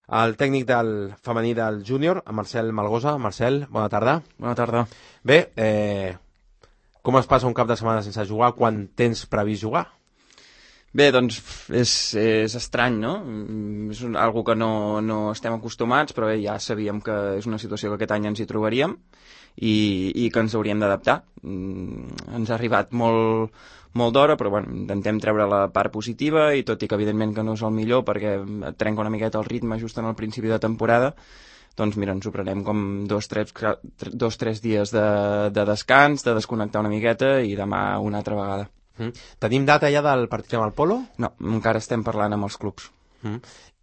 el tècnic del femení del júnior, en Marcel Malgosa. Marcel, bona tarda. Bona tarda. Bé, com es passa un cap de setmana sense jugar quan tens previst jugar? Bé, doncs és estrany, no? És algo que no estem acostumats, però bé, ja sabíem que és una situació que aquest any ens hi trobaríem i que ens hauríem d'adaptar. Ens ha arribat molt d'hora, però bueno, intentem treure la part positiva i tot i que evidentment que no és el millor perquè et trenca una miqueta el ritme just en el principi de temporada, doncs mira, ens ho prenem com 2-3 dies de descans, de desconnectar una miqueta i demà una altra vegada. Tenim data ja del partit amb el Polo? No, encara estem parlant amb els clubs.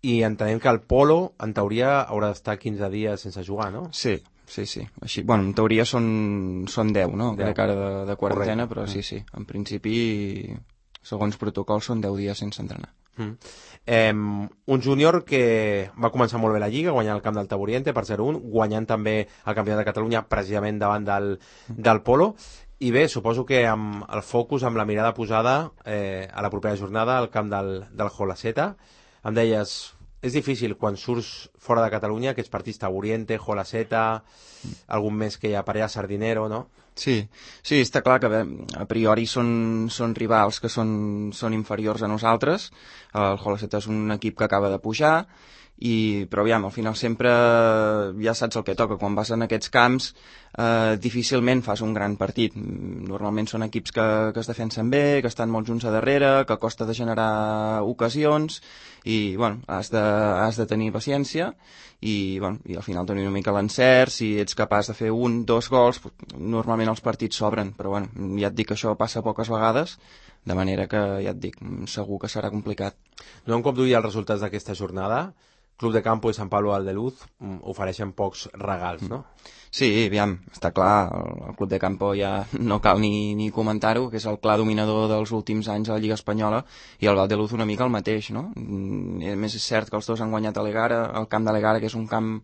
I entenem que el Polo, en teoria, haurà d'estar 15 dies sense jugar, no? Sí. Així, bueno, en teoria són 10, no? 10. De cara de quarantena, però sí. En principi, segons protocol, són 10 dies sense entrenar. Un júnior que va començar molt bé la Lliga, guanyant el camp del Taburiente per 0-1, guanyant també el Campionat de Catalunya precisament davant del Polo. I bé, suposo que amb el focus, amb la mirada posada a la propera jornada al camp del Jolaceta. Em deies, és difícil quan surts fora de Catalunya, aquests partits Taburiente, Jolaceta, algun més que hi ha per allà, Sardinero, no? Sí, està clar que a priori són rivals que són inferiors a nosaltres. El Jolaceta és un equip que acaba de pujar, però aviam, al final sempre ja saps el que toca. Quan vas en aquests camps difícilment fas un gran partit. Normalment són equips que es defensen bé, que estan molt junts a darrere, que costa de generar ocasions i bueno, has de tenir paciència i al final tenir una mica l'encert. Si ets capaç de fer 1-2 gols, normalment els partits s'obren, però bueno, ja et dic que això passa poques vegades, de manera que ja et dic, segur que serà complicat. No, un cop d'ull els resultats d'aquesta jornada, Club de Campo i Sant Pablo Aldeluz ofereixen pocs regals, no? Sí, aviam, està clar, el Club de Campo ja no cal ni comentar-ho, que és el clar dominador dels últims anys a la Lliga Espanyola, i el Valdeluz una mica el mateix, no? A més, és cert que els dos han guanyat a l'Egara, el camp de l'Egara, que és un camp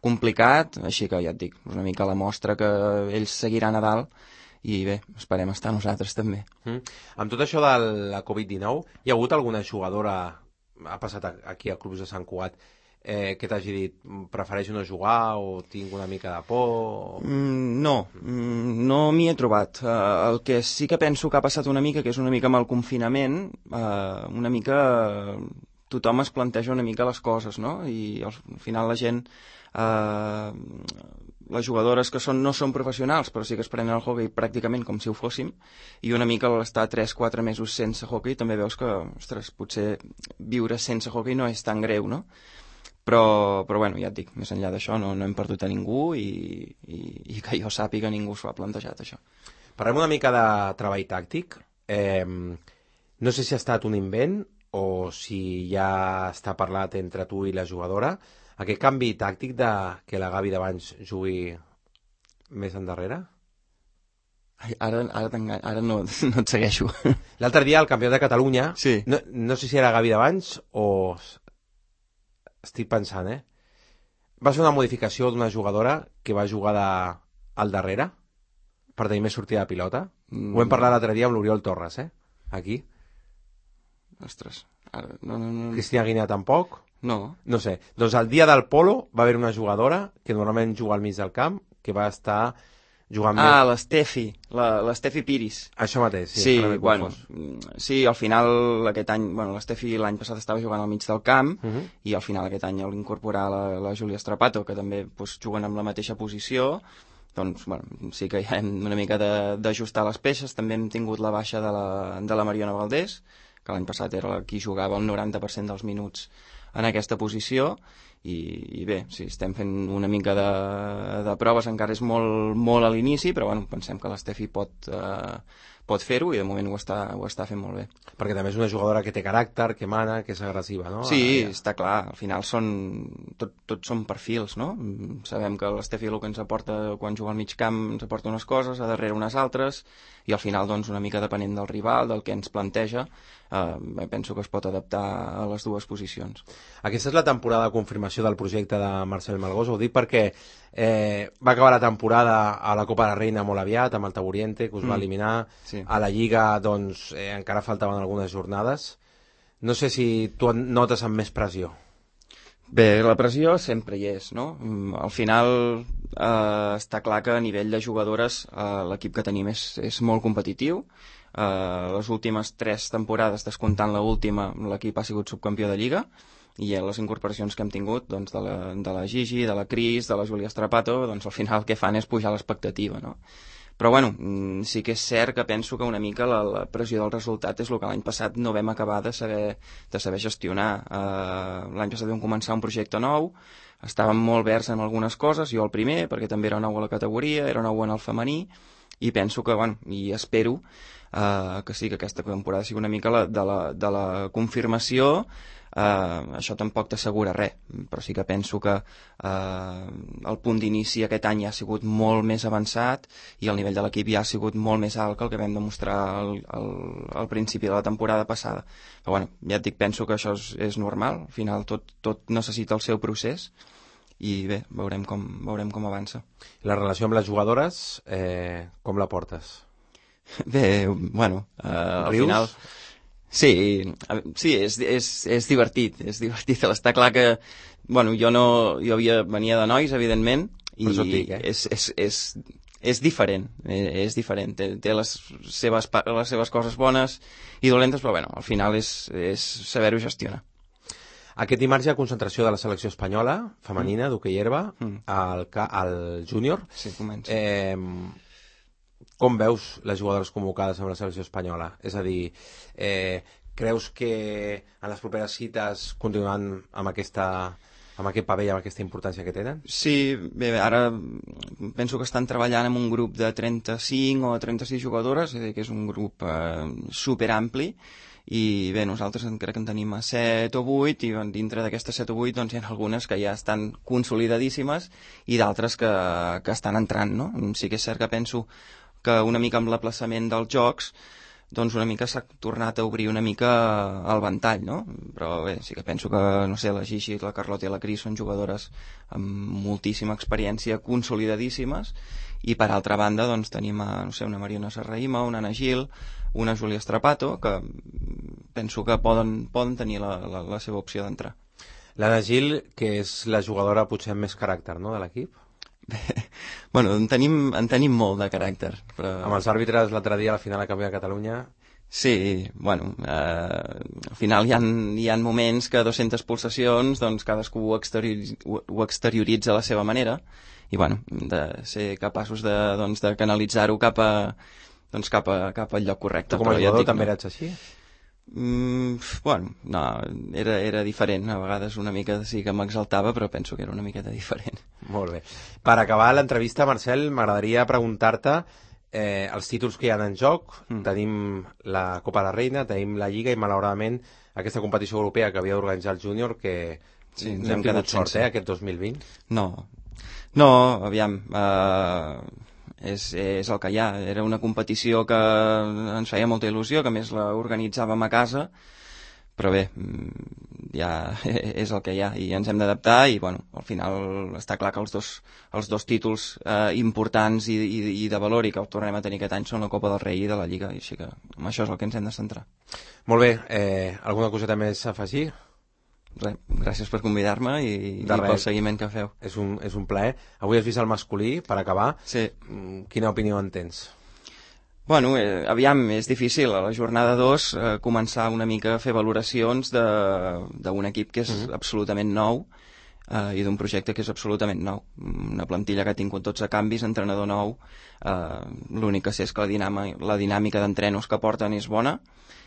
complicat, així que ja et dic, una mica la mostra que ells seguiran a dalt, i bé, esperem estar nosaltres també. Amb tot això de la Covid-19, hi ha hagut alguna jugadora, ha passat aquí al Club de Sant Cugat, que t'hagi dit, prefereixo no jugar o tinc una mica de por? No m'hi he trobat. El que sí que penso que ha passat una mica, que és una mica amb el confinament, una mica tothom es planteja una mica les coses, no? I al final la gent, les jugadores que no són professionals, però sí que es prenen el hoquei pràcticament com si ho fóssim, i una mica l'estar 3-4 mesos sense hoquei també veus que, ostres, potser viure sense hoquei no és tan greu, no? Però bueno, ja et dic, més enllà d'això no hem perdut a ningú i que jo sàpiga ningú s'ho ha plantejat, això. Parlem una mica de treball tàctic. No sé si ha estat un invent o si ja està parlat entre tu i la jugadora. Aquest canvi tàctic de que la Gavi d'abans jugui més endarrere? Ara no et segueixo. L'altre dia, al Campionat de Catalunya, sí. No sé si era Gavi d'abans o... Estic pensant, va ser una modificació d'una jugadora que va jugar al darrere per tenir més sortida de pilota. Ho vam parlar l'altre dia amb l'Oriol Torres, aquí. Ostres. No. Cristina Guinea tampoc? No. No sé. Doncs el dia del Polo va haver una jugadora que normalment juga al mig del camp, que va estar jugant l'Estefi Piris. Això mateix, sí. Sí, al final aquest any, l'Estefi l'any passat estava jugant al mig del camp i al final aquest any l'incorporar la Júlia Strapato, que també juguen amb la mateixa posició, doncs sí que hi hem una mica d'ajustar les peces. També hem tingut la baixa de la Mariona Valdés, que l'any passat era qui jugava el 90% dels minuts en aquesta posició, i bé, sí, estem fent una mica de proves, encara és molt a l'inici, però pensem que l'Estefi pot fer-ho i de moment ho està fent molt bé. Perquè també és una jugadora que té caràcter, que mana, que és agressiva, no? Sí, està clar, al final tots són perfils, no? Sabem que l'Estefi el que ens aporta quan juga al mig camp ens aporta unes coses, a darrere unes altres, i al final doncs una mica depenent del rival, del que ens planteja, penso que es pot adaptar a les dues posicions. Aquesta és la temporada de confirmació del projecte de Marcel Malgosa, ho dic perquè va acabar la temporada a la Copa de la Reina molt aviat, amb el Taburiente, que us va eliminar. Sí. A la Lliga, doncs, encara faltaven algunes jornades. No sé si tu et notes amb més pressió. Bé, la pressió sempre hi és, no? Al final està clar que a nivell de jugadores l'equip que tenim és molt competitiu. Les últimes 3 temporades, descomptant l'última, l'equip ha sigut subcampió de Lliga, i les incorporacions que hem tingut doncs, de la Gigi, de la Cris, de la Júlia Strapato, doncs al final el que fan és pujar l'expectativa, no? Però bueno, sí que és cert que penso que una mica la pressió del resultat és el que l'any passat no vam acabar de saber gestionar. L'any passat vam començar un projecte nou, estàvem molt verds en algunes coses, jo el primer, perquè també era nou a la categoria, era nou en el femení, i penso que, bueno, i espero que sí, que aquesta temporada sigui una mica de la confirmació. Això tampoc t'assegura res, però sí que penso que el punt d'inici aquest any ja ha sigut molt més avançat i el nivell de l'equip ja ha sigut molt més alt que el que vam demostrar al principi de la temporada passada. Però bueno, ja et dic, penso que això és normal, al final tot necessita el seu procés i bé, veurem com avança. La relació amb les jugadores, com la portes? Bé, bueno, al final... Sí, és divertit, Està clar que, bueno, jo venia de nois, evidentment, i és diferent, té les seves coses bones i dolentes, però bueno, al final és saber-ho gestionar. Aquest dimarts hi ha concentració de la selecció espanyola, femenina, d'hoquei herba, al júnior. Sí, comença. Com veus les jugadores convocades amb la selecció espanyola? És a dir, creus que en les properes cites continuaran amb aquest paper i amb aquesta importància que tenen? Sí, bé, ara penso que estan treballant amb un grup de 35 o 36 jugadores, és a dir, que és un grup superampli, i bé, nosaltres crec que en tenim 7 o 8 i dintre d'aquestes 7 o 8 doncs, hi ha algunes que ja estan consolidadíssimes i d'altres que estan entrant, no? Sí que és cert que penso que una mica amb l'aplaçament dels jocs doncs una mica s'ha tornat a obrir una mica el ventall, no? Però bé, sí que penso que, no sé, la Gigi, la Carlota i la Cris són jugadores amb moltíssima experiència, consolidadíssimes, i per altra banda doncs tenim no sé, una Mariona Serraïma, una Ana Gil, una Júlia Strapato, que penso que poden tenir la seva opció d'entrar. L'Anna Gil, que és la jugadora potser amb més caràcter, no?, de l'equip? Bueno, en tenim molt de caràcter, però... Amb els àrbitres l'altre dia a la final de Campionat de Catalunya... Sí, bueno, al final hi ha moments que 200 pulsacions, doncs cadascú ho exterioritza a la seva manera, i bueno, de ser capaços de canalitzar-ho cap al lloc correcte. Tu com a jugador també eres així? Bueno, no, era diferent, a vegades una mica sí que m'exaltava, però penso que era una miqueta diferent. Molt bé. Per acabar l'entrevista, Marcel, m'agradaria preguntar-te els títols que hi ha en joc. Tenim la Copa de la Reina, tenim la Lliga i malauradament aquesta competició europea que havia d'organitzar el júnior, que sí, no hem tingut sort, aquest 2020. No, aviam, és el que hi ha. Era una competició que ens feia molta il·lusió, que a més l'organitzàvem a casa, però bé, ja és el que hi ha i ens hem d'adaptar i bueno, al final està clar que els dos títols importants i de valor i que el tornem a tenir aquest any són la Copa del Rei i de la Lliga, i així que amb això és el que ens hem de centrar. Molt bé, alguna coseta més a afegir? Res, gràcies per convidar-me i pel seguiment que feu. És un plaer. Avui has vist el masculí, per acabar. Sí. Quina opinió en tens? Bueno, aviam, és difícil a la jornada 2 començar una mica a fer valoracions d'un equip que és absolutament nou i d'un projecte que és absolutament nou. Una plantilla que ha tingut 12 canvis, entrenador nou, l'únic que sé és que la dinàmica d'entrenos que porten és bona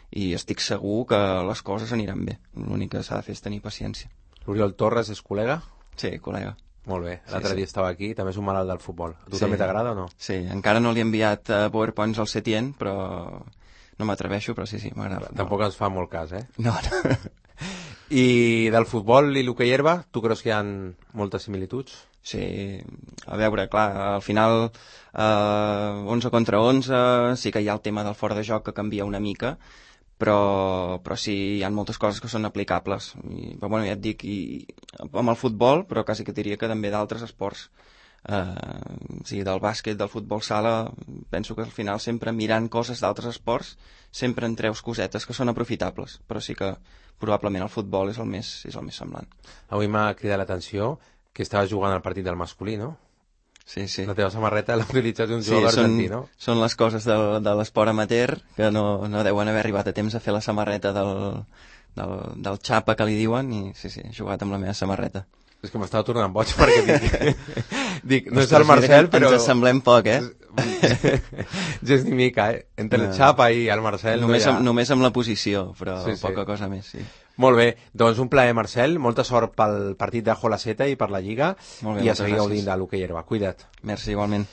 i estic segur que les coses aniran bé. L'únic que s'ha de fer és tenir paciència. L'Oriol Torres és col·lega? Sí, col·lega. Molt bé, l'altre dia estava aquí, també és un malalt del futbol. A tu també t'agrada o no? Sí, encara no li he enviat PowerPoints al Setién, però no m'atreveixo, però sí, m'agrada. Tampoc ens fa molt cas, No. I del futbol i l'hoquei herba, tu creus que hi ha moltes similituds? Sí, a veure, clar, al final 11 contra 11, sí que hi ha el tema del fora de joc que canvia una mica, però sí, hi ha moltes coses que són aplicables. Però bueno, ja et dic, amb el futbol, però quasi que diria que també d'altres esports sí, del bàsquet, del futbol sala, penso que al final sempre mirant coses d'altres esports sempre en treus cosetes que són aprofitables, però sí que probablement el futbol és el més semblant. Avui m'ha cridat l'atenció que estava jugant al partit del masculí, no? Sí, sí. La teva samarreta l'ha utilitzat un jugador argentí, no? Són les coses de l'esport amateur que no deuen haver arribat a temps a fer la samarreta del xapa que li diuen i sí, he jugat amb la meva samarreta. És que m'estava tornant boig perquè dic no és el Marcel, però... Ens assemblem poc, gens ni mica, entre el xapa i el Marcel... Només amb la posició, però poca cosa més, sí. Molt bé, doncs un plaer, Marcel, molta sort pel partit de Jola Seta i per la Lliga, i a seguir gaudint de l'hoquei herba. Cuida't. Merci, igualment.